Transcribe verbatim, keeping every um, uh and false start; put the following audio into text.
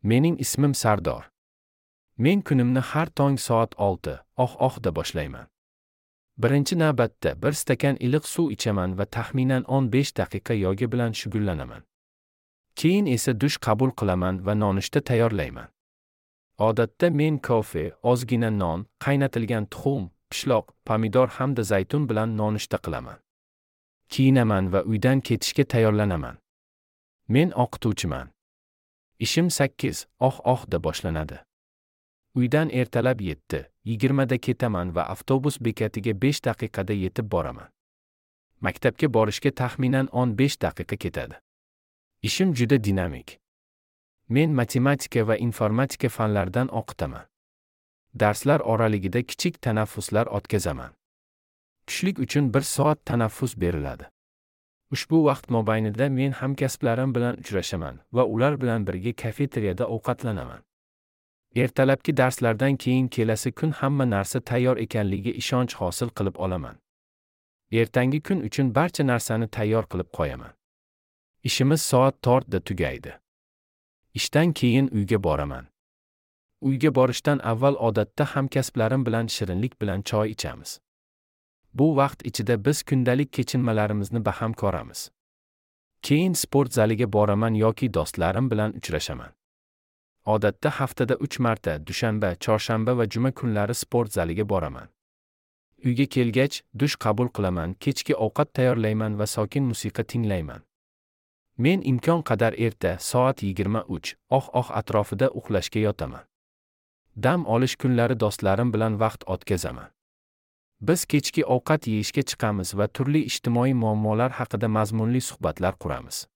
Mening ismim Sardor. Men kunimni har tong soat olti oh ohda boshlayman. Birinchi navbatda bir stakan iliq suv ichaman va taxminan o'n besh daqiqa yoga bilan shug'ullanaman. Keyin esa dush qabul qilaman va nonushta tayyorlayman. Odatda men kofe, ozgina non, qaynatilgan tuxum, pishloq, pomidor hamda zaytun bilan nonushta qilaman. Kiyinaman va uydan ketishga tayyorlanaman. Men o'qituvchiman. Ishim sakkiz oh ohda boshlanadi. Uydan ertalab yetti yigirmada ketaman va avtobus bekatiga besh daqiqada yetib boraman. Maktabga borishga taxminan o'n besh daqiqa ketadi. Ishim juda dinamik. Men matematika va informatika fanlaridan o'qitaman. Darslar oraligida kichik tanaffuslar o'tkazaman. Tushlik uchun bir soat tanaffus beriladi. Ushbu vaqt mobaynida men hamkasblarim bilan uchrashaman va ular bilan birga kafeteriyada ovqatlanaman. Ertalabki darslardan keyin kelasi kun hamma narsa tayyor ekanligiga ishonch hosil qilib olaman. Ertangi kun uchun barcha narsani tayyor qilib qo'yaman. Ishimiz soat to'rtda tugaydi. Ishdan keyin uyga boraman. Uyga borishdan avval odatda hamkasblarim bilan shirinlik bilan choy ichamiz. Bu vaqt ichida biz kundalik kechinmalarimizni baham ko'ramiz. Keyin sport zaliga boraman yoki do'stlarim bilan uchrashaman. Odatda haftada uch marta, dushanba, chorshanba va juma kunlari sport zaliga boraman. Uyga kelgach, dush qabul qilaman, kechki ovqat tayyorlayman va sokin musiqa tinglayman. Men imkon qadar erta, soat yigirma uch oh oh atrofida uxlashga yotaman. Dam olish kunlari do'stlarim bilan vaqt o'tkazaman. Biz kechki ovqat yeyishga chiqamiz va turli ijtimoiy muammolar haqida mazmunli suhbatlar quramiz.